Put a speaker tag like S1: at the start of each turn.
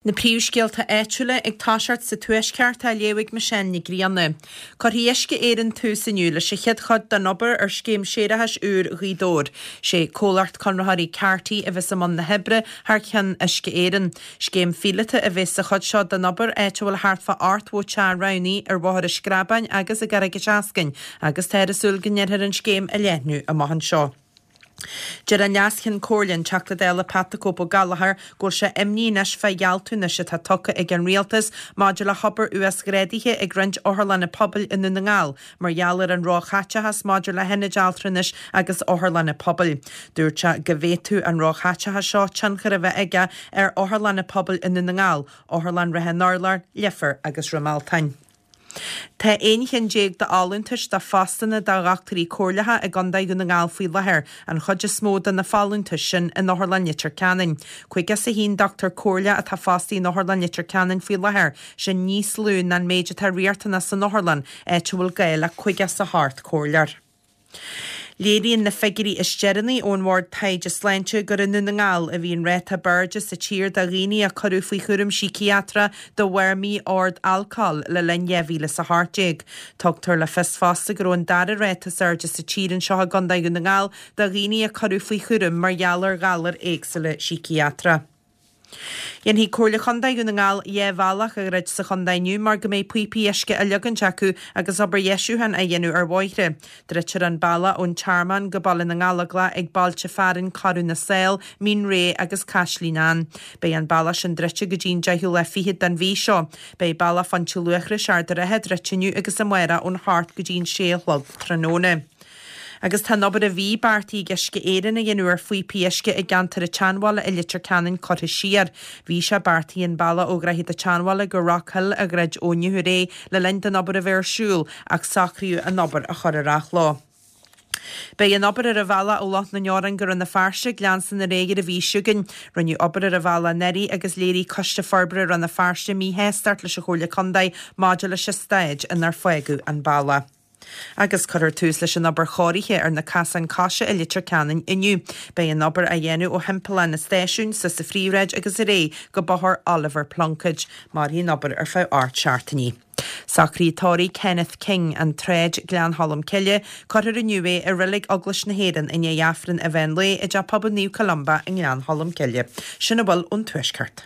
S1: Na príomhscéalta áitiúla ag toiseacht sa Tuaisceart á léamh ag Michelle Nic Grianna. Cuirfidh Uisce Éireann tús inniu leis an chéad chuid den obair ar scéim séarachais úr Ghaoth Dobhair. Sé comhlacht conraitheoirí Carty a bheas i mbun na hoibre thar ceann Uisce Éireann. Scéim phíolóta a bheas sa chuid seo den obair áit a bhfuil thart fá 80 teach roghnaithe ar Bhóthar an Screabáin agus i gCarraig an tSeascainn agus táthar ag súil go ndéanfar an scéim a leathnú amach anseo. Deir an Leas-Cheann Comhairle, an Teachta Dála Pat the Cope Ó Gallchóir, go bhfuil sé imní anois fá ghealltúnais atá tugtha ag an Rialtas maidir le hobair uasghrádaithe ag roinnt otharlanna pobail i nDún na nGall mar gheall ar an róchaiteachas maidir le hionaid altranais agus otharlanna pobail. Dúirt sé go bhféadfadh an róchaiteachas seo tionchar a bheith aige ar otharlanna pobail i nDún na nGall, Otharlann Ráth an Urláir, Leifear agus Droim Altáin. Tá 11 cheann d'fholúntais do phostanna do dhochtúirí comhairleacha i gContae Dhún na nGall faoi láthair, an chuid is mó de na folúntais sin in Otharlann Leitir Ceanainn. 51 dochtúir comhairleach atá fostaithe in Otharlann Leitir Ceanainn faoi láthair, sin níos lú ná an méid atá riachtanach san otharlann, áit a bhfuil gá le 58 comhairleoir. Léiríonn na figiúirí is deireanaí ón Bhord Taighde Sláinte gur i nDún na nGall a bhí an ráta b'airde sa tír do dhaoine a cuireadh faoi chúram síciatrach de bharr mí-ord alcóil le linn 2018. Tugtar le fios fosta go raibh an dara ráta is airde sa tír anseo i gContae Dhún na nGall do dhaoine a cuireadh faoi chúram mar gheall ar ghalair éagsúla síciatrach. Dhéanfaidh Comhairle Chontae Dhún na nGall 2 bhealach a dhruid sa chontae inniu mar go mbeidh píopaí uisce á leagaint acu agus obair dheisiúcháin á dhéanamh ar bhóithre. Druidtear an bealach ón Tearmann go Baile na nGallóglach ag bailte fearainn Corradh na Sál, Mín Réidh agus Caislín Ann. Beidh an bealach sin druidte go dtí an deichiú lá fichead den mhí seo. Beidh bealach Phointe Luachrais, Ard an Rátha druidte inniu agus amárach ón hocht go dtí an sé a chlog tráthnóna. Agus tá an obair a bhí beartaithe ag Uisce Éireann a dhéanamh ar phíopaí uisce i gceantar an tSeanbhaile i Leitir Ceanainn curtha siar. Bhí sé beartaithe an bealach ó Dhroichead an tSeanbhaile go Rockhill a dhruid ó inniu ar aghaidh le linn don obair a bheith ar siúl ach socraíodh an obair a chur ar athló. Beidh an obair ar an bhealach ó Loch na nDeorán go Rann na Feirste ag leanstan ar aghaidh ar an mhí seo chugainn. Rinneadh obair ar an bhealach anuraidh agus léirigh Coiste Forbartha Rann na Feirste míshástacht leis an Chomhairle Contae maidir leis an staid inar fágadh an bealach. Agus cuirfear tús leis an obair chóirithe ar na casáin coise i Leitir Ceanainn inniu. Beidh an obair á dhéanamh ó Thimpeallán an Stáisiúin, suas an Phríomhshráid agus ar aghaidh go Bóthar Oliver Plunkett. Mairfidh an obair ar feadh 8 seachtainí. Socraithe tórraimh Kenneth King, An tSráid, Gleann Cholm Cille. Cuirfear inniu é i Reilig Eaglais na hÉireann i ndiaidh Aifreann an mheán lae i dTeach Pobail Naomh Columba i nGleann Cholm Cille. Sin a bhfuil ón Tuaisceart.